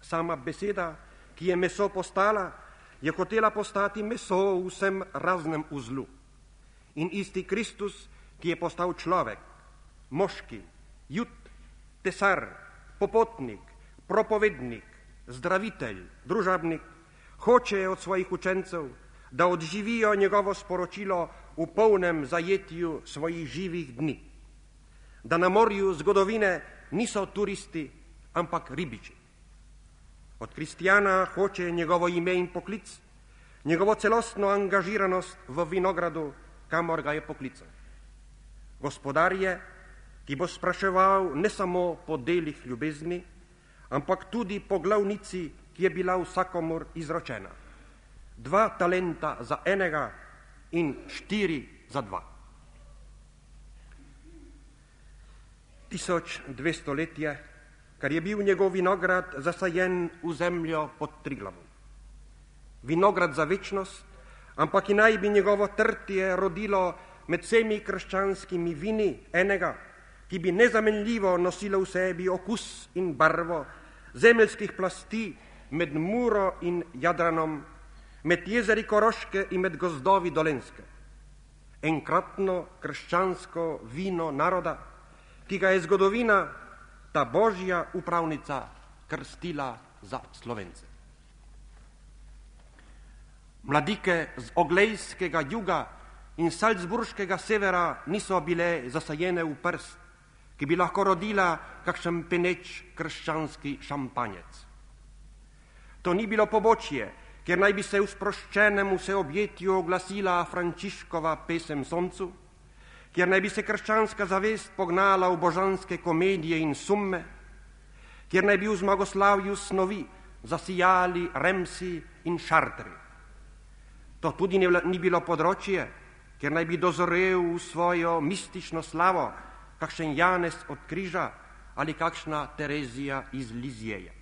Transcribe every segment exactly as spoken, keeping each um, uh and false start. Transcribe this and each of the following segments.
Sama beseda, ki je meso postala, je hotela postati meso v vsem raznem uzlu. In isti Kristus, ki je postal človek, moški, jud, tesar, popotnik, propovednik, zdravitelj, družabnik, hoče od svojih učencev, da odživijo njegovo sporočilo v polnem zajetju svojih živih dni. Da na morju zgodovine niso turisti, ampak ribiči. Od kristjana hoče njegovo ime in poklic, njegovo celostno angažiranost v vinogradu, kamor ga je poklical. Gospodar je, ki bo spraševal ne samo po delih ljubezni, ampak tudi po glavnici, ki je bila vsakomur izročena. Dva talenta za enega in štiri za dva. Tisoč dvesto let je, kar je bil njegov vinograd zasajen v zemljo pod Triglavom. Vinograd za večnost, ampak i naj bi njegovo trtje rodilo med vsemi krščanskimi vini enega, ki bi nezamenljivo nosilo v sebi okus in barvo zemeljskih plasti med Muro in Jadranom, med jezeri Koroške in med gozdovi Dolenske. Enkratno krščansko vino naroda, ki ga je zgodovina, ta božja upravnica, krstila za Slovence. Mladike z oglejskega juga in salzburškega severa niso bile zasajene v prst, ki bi lahko rodila kakšen peneč krščanski šampanjec. To ni bilo pobočje, kjer naj bi se v sproščenem vseobjetju oglasila Frančiškova pesem soncu, kjer naj bi se krščanska zavest pognala v božanske komedije in summe, kjer naj bi v zmagoslavju snovi zasijali remsi in šartri. To tudi ni bilo področje, kjer naj bi dozorel v svojo mistično slavo kakšen Janez od križa ali kakšna Terezija iz Lizjeja.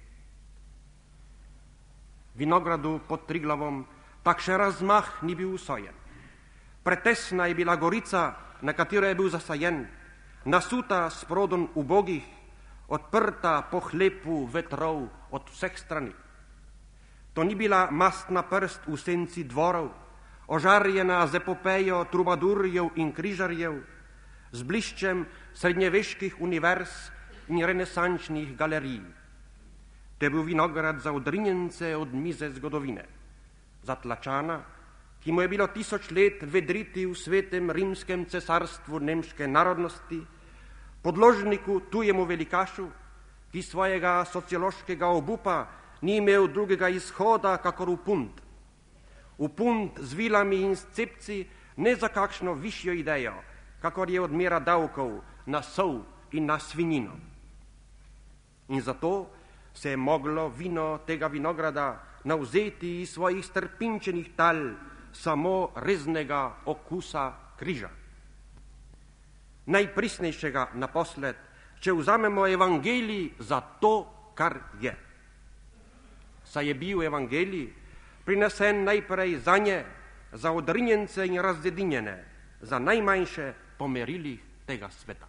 Vinogradu pod Triglavom takšen razmah ni bil usojen. Pretesna je bila gorica, na katero je bil zasajen, nasuta s prodom ubogih, odprta po hlepu vetrov od vseh strani. To ni bila mastna prst v senci dvorov, ožarjena z epopejo trubadurjev in križarjev, z bliščem srednjeveških univerz in renesančnih galerij. To je bil vinograd za odrinjence od mize zgodovine, za tlačana, ki mu je bilo tisoč let vedriti v svetem rimskem cesarstvu nemške narodnosti, podložniku tujemu velikašu, ki svojega sociološkega obupa ni imel drugega izhoda, kakor v punt. V punt z vilami in s cepci, ne za kakšno višjo idejo, kakor je odmera davkov na sol in na svinjino. In zato se je moglo vino tega vinograda navzeti iz svojih strpinčenih tal samo reznega okusa križa. Najprisnejšega naposled, če vzamemo evangelij za to, kar je. Saj je bil evangelij prinesen najprej za nje, za odrinjence in razdedinjene, za najmanjše po merilih tega sveta.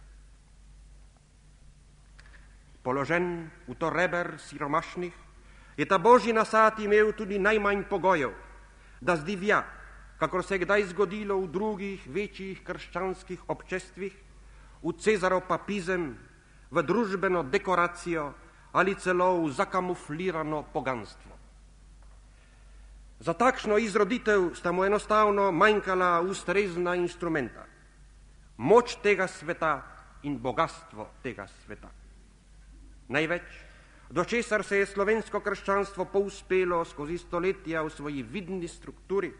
Položen v to reber siromašnih, je ta božji nasad imel tudi najmanj pogojev, da zdivja, kakor se je kdaj zgodilo v drugih večjih krščanskih občestvih, v Cezarov papizem, v družbeno dekoracijo ali celo v zakamuflirano poganstvo. Za takšno izroditev sta mu enostavno manjkala ustrezna instrumenta, moč tega sveta in bogatstvo tega sveta. Največ, do česar se je slovensko krščanstvo povzpelo skozi stoletja v svoji vidni strukturi,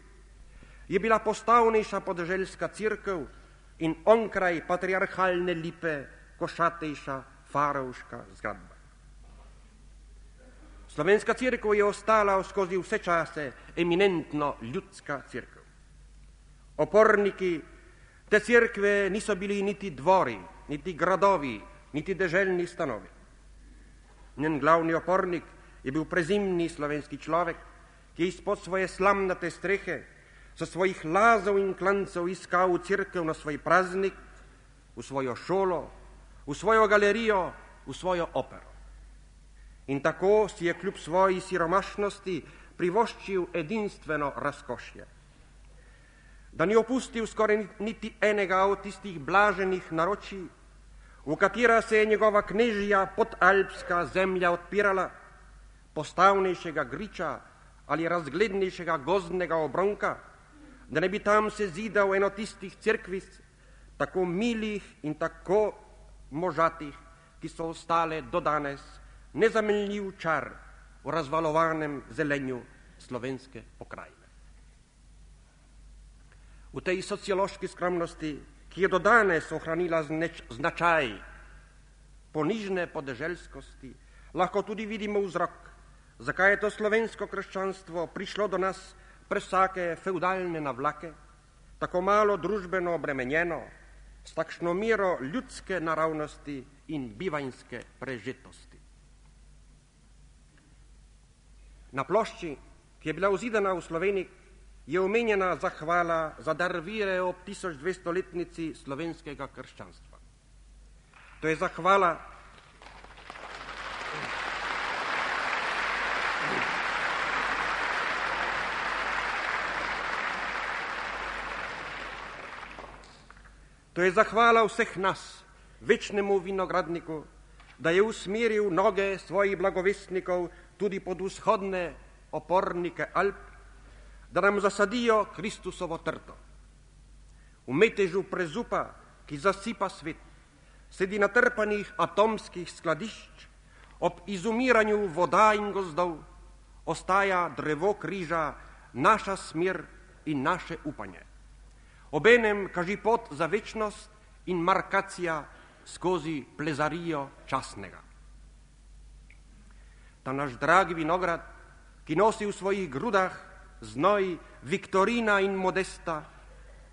je bila postavnejša podeželska cerkev in onkraj patriarhalne lipe košatejša farovška zgradba. Slovenska cerkev je ostala skozi vse čase eminentno ljudska cerkev. Oporniki te cerkve niso bili niti dvori, niti gradovi, niti deželni stanovi. Njen glavni opornik je bil prezimni slovenski človek, ki je izpod svoje slamnate strehe so svojih lazov in klancev iskal v cerkev na svoj praznik, v svojo šolo, v svojo galerijo, v svojo opero. in tako si je kljub svoji siromašnosti privoščil edinstveno razkošje. Da ni opustil skoraj niti enega od tistih blaženih naročij, v katera se je njegova knežja podalpska zemlja odpirala, postavnejšega griča ali razglednejšega gozdnega obronka, da ne bi tam se zidal eno tistih cerkvic, tako milih in tako možatih, ki so ostale do danes nezamenljiv čar v razvalovanem zelenju slovenske pokrajine. V tej sociološki skromnosti, ki je do danes ohranila zneč, značaj ponižne podeželskosti, lahko tudi vidimo vzrok, zakaj je to slovensko krščanstvo prišlo do nas prez vsake feudalne navlake, tako malo družbeno obremenjeno, s takšno mero ljudske naravnosti in bivanjske prežetosti. Na plošči, ki je bila vzidana v Sloveniji, je omenjena zahvala za dar vire ob tisoč dvestoletnici slovenskega krščanstva. To je zahvala To je zahvala vseh nas, večnemu vinogradniku, da je usmeril noge svojih blagovestnikov tudi pod vzhodne opornike Alp, da nam zasadijo Kristusovo trto. V metežu prezupa, ki zasipa svet, sedi natrpanih atomskih skladišč, ob izumiranju voda in gozdov ostaja drevo križa, naša smer in naše upanje. Obenem kaži pot za večnost in markacija skozi plezarijo časnega. Ta naš dragi vinograd, ki nosi v svojih grudah znoj Viktorina in Modesta,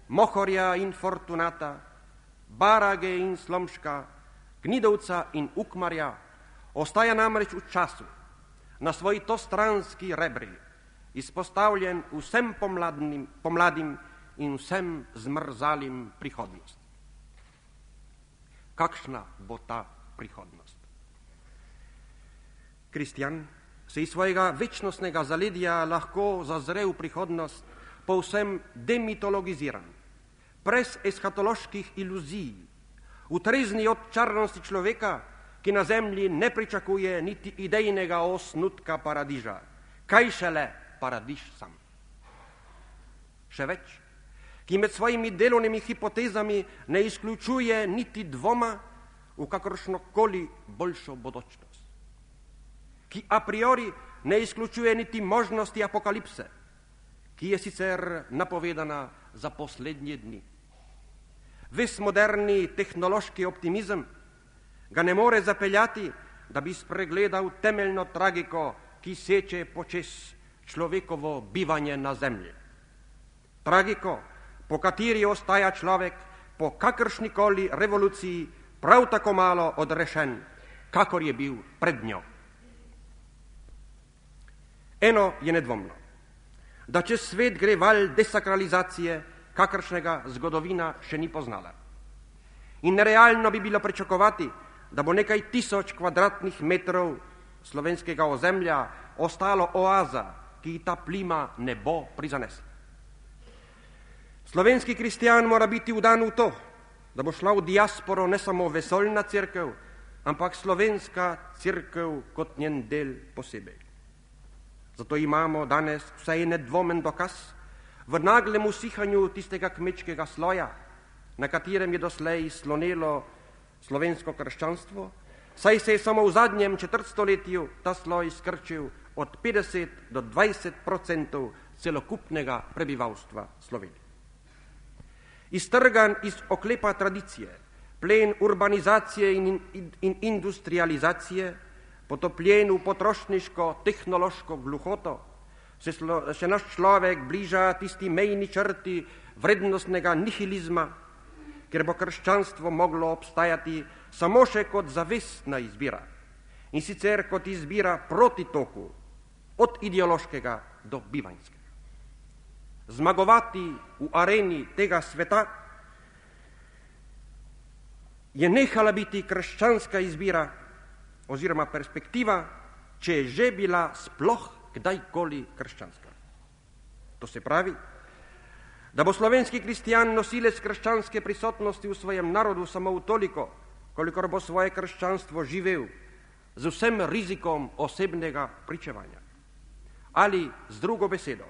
Mohorja in Fortunata, Barage in Slomška, Gnidovca in Ukmarja, ostaja namreč v času, na svoji tostranski rebri, izpostavljen vsem pomladnim, pomladim in vsem zmrzalim prihodnost. Kakšna bo ta prihodnost? Kristjan se iz svojega večnostnega zaledja lahko zazre v prihodnost povsem demitologiziran, brez eskatoloških iluzij, utrezni od čarnosti človeka, ki na zemlji ne pričakuje niti idejnega osnutka paradiža, kaj šele paradiž sam. Še več, ki med svojimi delovnimi hipotezami ne izključuje niti dvoma v kakršnokoli boljšo bodočnost, ki a priori ne izključuje niti možnosti apokalipse, ki je sicer napovedana za poslednje dni. Ves moderni tehnološki optimizem ga ne more zapeljati, da bi spregledal temeljno tragiko, ki seče počez človekovo bivanje na zemlji. Tragiko, po kateri ostaja človek po kakršnikoli revoluciji prav tako malo odrešen, kakor je bil pred njo. Eno je nedvomno, da čez svet gre val desakralizacije, kakršnega zgodovina še ni poznala. In nerealno bi bilo pričakovati, da bo nekaj tisoč kvadratnih metrov slovenskega ozemlja ostalo oaza, ki ta plima ne bo prizanesla. Slovenski kristjan mora biti vdan v to, da bo šla v diasporo ne samo vesoljna cerkev, ampak slovenska cerkev kot njen del posebej. Zato imamo danes vsaj nedvomen dokaz v naglem usihanju tistega kmečkega sloja, na katerem je doslej slonelo slovensko krščanstvo, saj se je samo v zadnjem četrtstoletju ta sloj skrčil od petdeset do dvajset procentov celokupnega prebivalstva Slovenije. Iztrgan iz oklepa tradicije, plen urbanizacije in, in, in industrializacije, potopljen v potrošniško-tehnološko gluhoto, se, slo, se naš človek bliža tisti mejni črti vrednostnega nihilizma, ker bo krščanstvo moglo obstajati samo še kot zavestna izbira, in sicer kot izbira proti toku, od ideološkega do bivanjskega. Zmagovati v areni tega sveta je nehala biti krščanska izbira oziroma perspektiva, če je že bila sploh kdajkoli krščanska. To se pravi, da bo slovenski kristjan nosilec krščanske prisotnosti v svojem narodu samo toliko, kolikor bo svoje krščanstvo živel z vsem rizikom osebnega pričevanja. Ali z drugo besedo,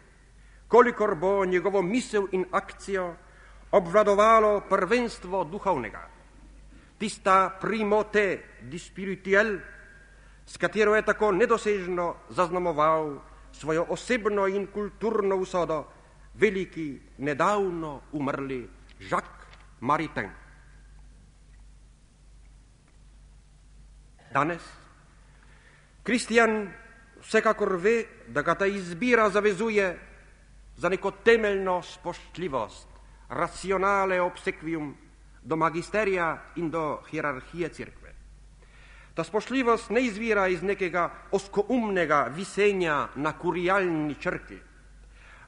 kolikor bo njegovo misel in akcijo obvladovalo prvenstvo duhovnega, tista primote di spirituel, s katero je tako nedosežno zaznamoval svojo osebno in kulturno usodo veliki nedavno umrli Jacques Maritain. Danes kristjan vsekakor ve, da ga ta izbira zavezuje za neko temeljno spoštljivost, racionale obsequium do magisterija in do hierarhije cerkve. Ta spoštljivost ne izvira iz nekega oskoumnega visenja na kurijalni črki,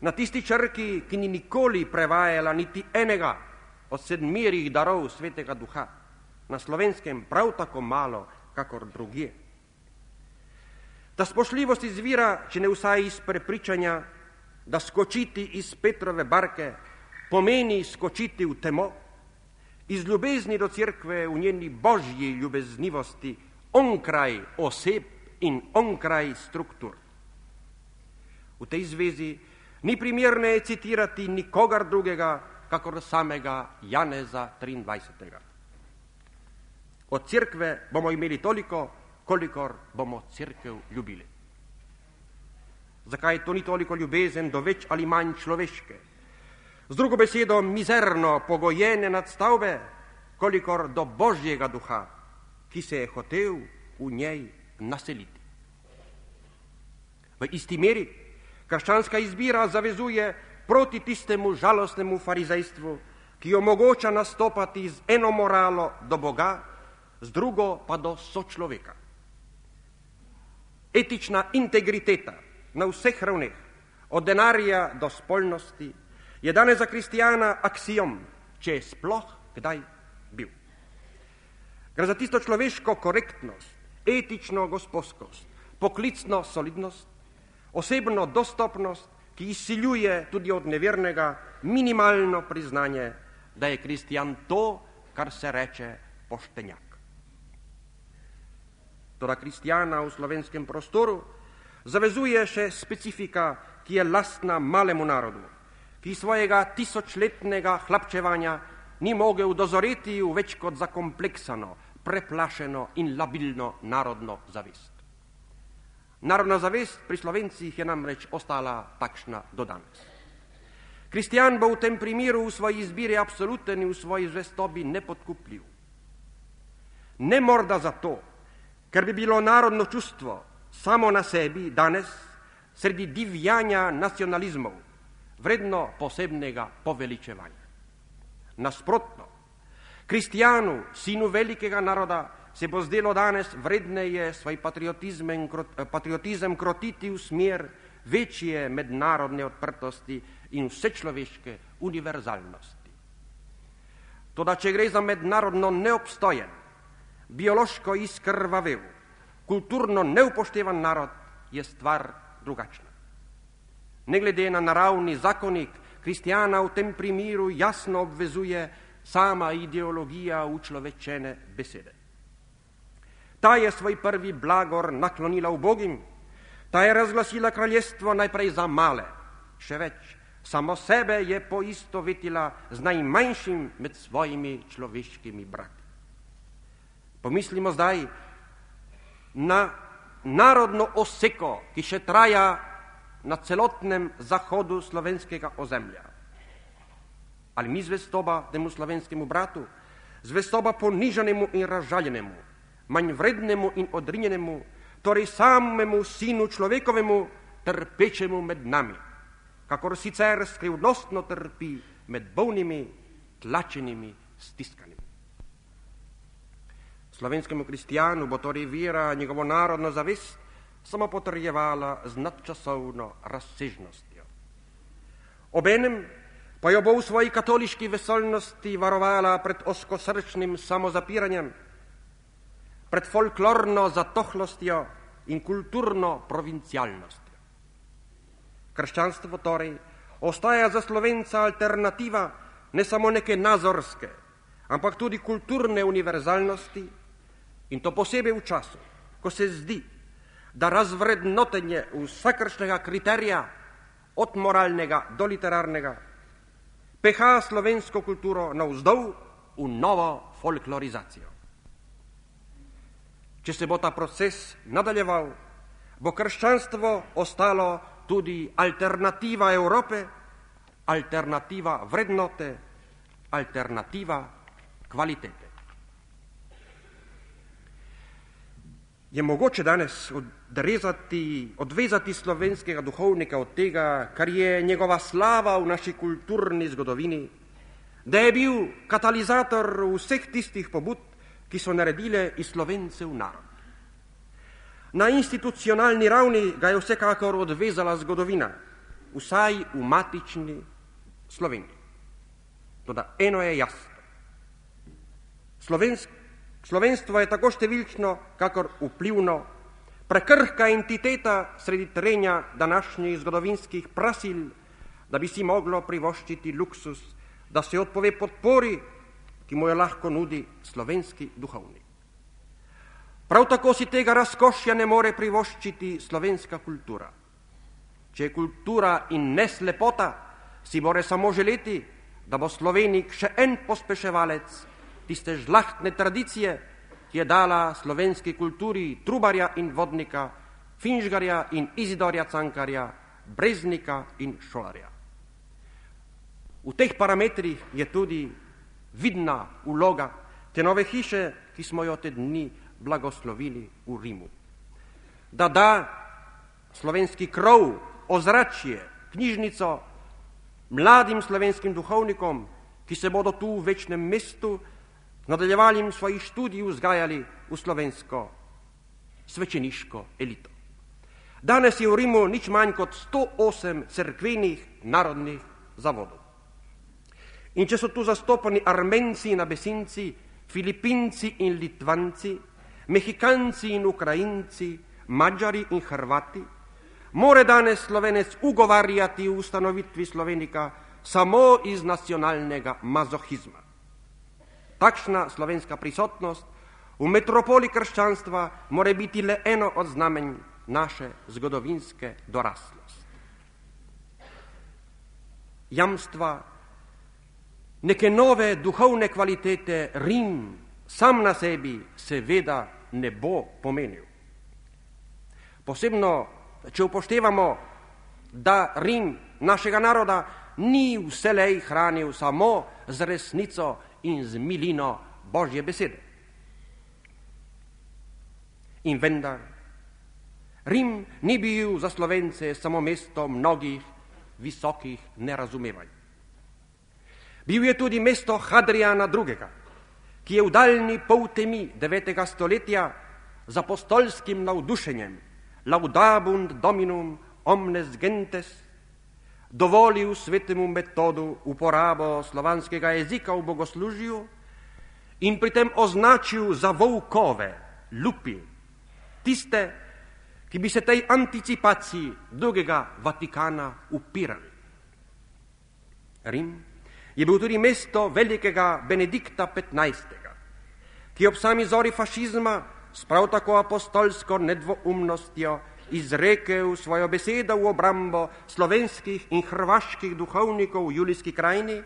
na tisti črki, ki ni nikoli prevajala niti enega od sedmirih darov Svetega Duha, na Slovenskem prav tako malo, kakor drugje. Ta spoštljivost izvira, če ne vsaj iz prepričanja, da skočiti iz Petrove barke pomeni skočiti v temo, iz ljubezni do cerkve v njeni božji ljubeznivosti, onkraj oseb in onkraj struktur. V tej zvezi ni primerne citirati nikogar drugega, kakor samega Janeza triindvajsetega. Od cerkve bomo imeli toliko, kolikor bomo cerkev ljubili. Zakaj to ni toliko ljubezen do več ali manj človeške? Z drugo besedo, mizerno pogojene nadstavbe, kolikor do Božjega duha, ki se je hotel v njej naseliti. V isti meri krščanska izbira zavezuje proti tistemu žalostnemu farizejstvu, ki omogoča nastopati z eno moralo do Boga, z drugo pa do sočloveka. Etična integriteta na vseh ravneh, od denarja do spolnosti, je danes za kristijana aksijom, če je sploh kdaj bil. Gre za tisto človeško korektnost, etično gospodskost, poklicno solidnost, osebno dostopnost, ki izsiljuje tudi od nevernega minimalno priznanje, da je kristijan to, kar se reče poštenjak. Toda kristijana v slovenskem prostoru zavezuje še specifika, ki je lastna malemu narodu, ki svojega tisočletnega hlapčevanja ni mogel dozoreti v več kot zakompleksano, preplašeno in labilno narodno zavest. Narodna zavest pri Slovencih je namreč ostala takšna do danes. Kristijan bo v tem primeru v svoji izbiri absoluten in v svoji zvestobi nepodkupljiv. Ne morda zato, ker bi bilo narodno čustvo samo na sebi danes, sredi divjanja nacionalizmov, vredno posebnega poveličevanja. Nasprotno, kristijanu, sinu velikega naroda, se bo zdelo danes vredneje svoj patriotizem, patriotizem krotiti v smer večje mednarodne odprtosti in vsečloveške univerzalnosti. Toda, če gre za mednarodno neobstojen, biološko izkrvavel, kulturno neupoštevan narod, je stvar drugačna. Ne glede na naravni zakonik, kristijana v tem primeru jasno obvezuje sama ideologija učlovečene besede. Ta je svoj prvi blagor naklonila ubogim, ta je razglasila kraljestvo najprej za male, še več, samo sebe je poistovetila z najmanjšim med svojimi človeškimi brati. Pomislimo zdaj na narodno oseko, ki še traja na celotnem zahodu slovenskega ozemlja. Ali mi zvestoba temu slovenskemu bratu, zvestoba ponižanemu in razžaljenemu, manj vrednemu in odrinjenemu, torej samemu sinu človekovemu, trpečemu med nami, kakor sicer skrivnostno trpi med bolnimi, tlačenimi, stiskanimi. Slovenskemu kristijanu bo torej vera njegovo narodno zavest samo potrjevala z nadčasovno razsežnostjo. Obenem pa jo bo v svoji katoliški vesoljnosti varovala pred oskosrčnim samozapiranjem, pred folklorno zatohlostjo in kulturno provincialnostjo. Krščanstvo torej ostaja za Slovenca alternativa ne samo neke nazorske, ampak tudi kulturne univerzalnosti, in to posebej v času, ko se zdi, da razvrednotenje vsakršnega kriterija, od moralnega do literarnega, peha slovensko kulturo navzdol v novo folklorizacijo. Če se bo ta proces nadaljeval, bo krščanstvo ostalo tudi alternativa Evrope, alternativa vrednote, alternativa kvalitete. Je mogoče danes odrezati, odvezati slovenskega duhovnika od tega, kar je njegova slava v naši kulturni zgodovini, da je bil katalizator vseh tistih pobud, ki so naredile iz Slovencev narod. Na institucionalni ravni ga je vsekakor odvezala zgodovina, vsaj v matični Sloveniji. Toda eno je jasno. Slovensk, slovenstvo je tako številčno, kakor vplivno, prekrhka entiteta sredi trenja današnjih zgodovinskih prasil, da bi si moglo privoščiti luksus, da se odpove podpori, ki mu jo lahko nudi slovenski duhovnik. Prav tako si tega razkošja ne more privoščiti slovenska kultura. Če je kultura in ne slepota, si more samo želeti, da bo Slovenik še en pospeševalec tiste žlahtne tradicije, ki je dala slovenski kulturi Trubarja in Vodnika, Finžgarja in Izidorja Cankarja, Breznika in Šolarja. V teh parametrih je tudi vidna vloga te nove hiše, ki smo jo te dni blagoslovili v Rimu. Da da slovenski krov, ozračje, knjižnico mladim slovenskim duhovnikom, ki se bodo tu v večnem mestu nadaljevanjem svojih študij vzgajali v slovensko svečeniško elito. Danes je v Rimu nič manj kot sto osem cerkvenih narodnih zavodov. In če so tu zastopani Armenci in Abesinci, Filipinci in Litvanci, Mehikanci in Ukrajinci, Mađari in Hrvati, more danes Slovenec ugovarjati v ustanovitvi Slovenika samo iz nacionalnega mazohizma. Takšna slovenska prisotnost v metropoli krščanstva more biti le eno od znamenj naše zgodovinske doraslosti. Jamstva neke nove duhovne kvalitete Rim sam na sebi seveda ne bo pomenil. Posebno, če upoštevamo, da Rim našega naroda ni vselej hranil samo z resnico in z milino Božje besede. In vendar, Rim ni bil za Slovence samo mesto mnogih visokih nerazumevanj. Bil je tudi mesto Hadrijana drugega, ki je v daljni pol temi devetega stoletja z apostolskim navdušenjem Laudabunt Dominum omnes gentes dovolil svetemu metodu uporabo slovanskega jezika v bogoslužju in pri tem označil za volkove, lupi, tiste, ki bi se tej anticipaciji drugega Vatikana upirali. Rim je bil tudi mesto velikega Benedikta petnajstega, ki ob sami zori fašizma s prav tako apostolsko nedvoumnostjo izrekel svojo besedo v obrambo slovenskih in hrvaških duhovnikov v Julijski krajini,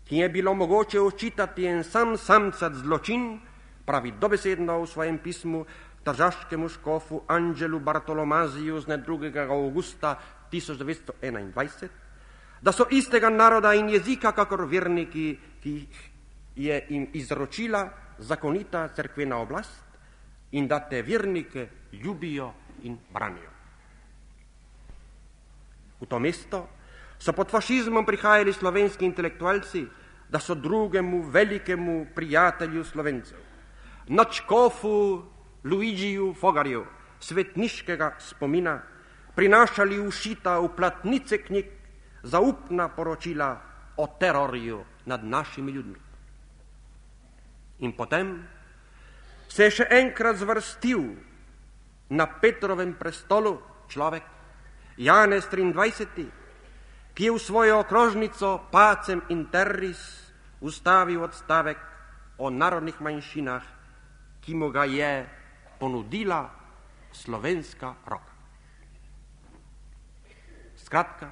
ki je bilo mogoče očitati en sam samcat zločin, pravi dobesedno v svojem pismu tržaškemu škofu Anđelu Bartolomaziju z drugega avgusta tisoč devetsto enaindvajset, da so istega naroda in jezika kakor verniki, ki je jim izročila zakonita cerkvena oblast in da te vernike ljubijo in branijo. V to mesto so pod fašizmom prihajali slovenski intelektualci, da so drugemu velikemu prijatelju Slovencev, nadškofu Luigiju Fogarju, svetniškega spomina, prinašali ušita v platnice knjig zaupna poročila o terorju nad našimi ljudmi. In potem se je še enkrat zvrstil na Petrovem prestolu človek, Janez triindvajseti, ki je v svojo okrožnico Pacem in Terris ustavil odstavek o narodnih manjšinah, ki mu ga je ponudila slovenska roka. Skratka,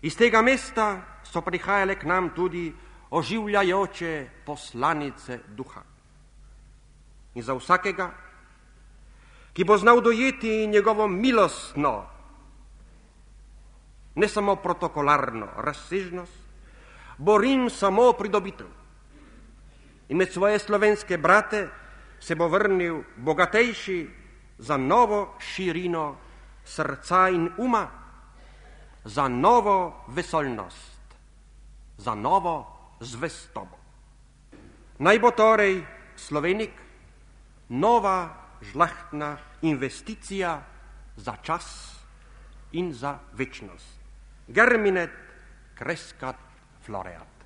iz tega mesta so prihajale k nam tudi oživljajoče poslanice duha. In za vsakega, ki bo znal dojeti njegovo milostno, ne samo protokolarno razsežnost, bo Rim samo pridobitev. In med svoje slovenske brate se bo vrnil bogatejši za novo širino srca in uma, za novo vesoljnost, za novo zvestobo. Naj bo torej Slovenik nova žlahtna investicija za čas in za večnost. Germinet crescat floreat.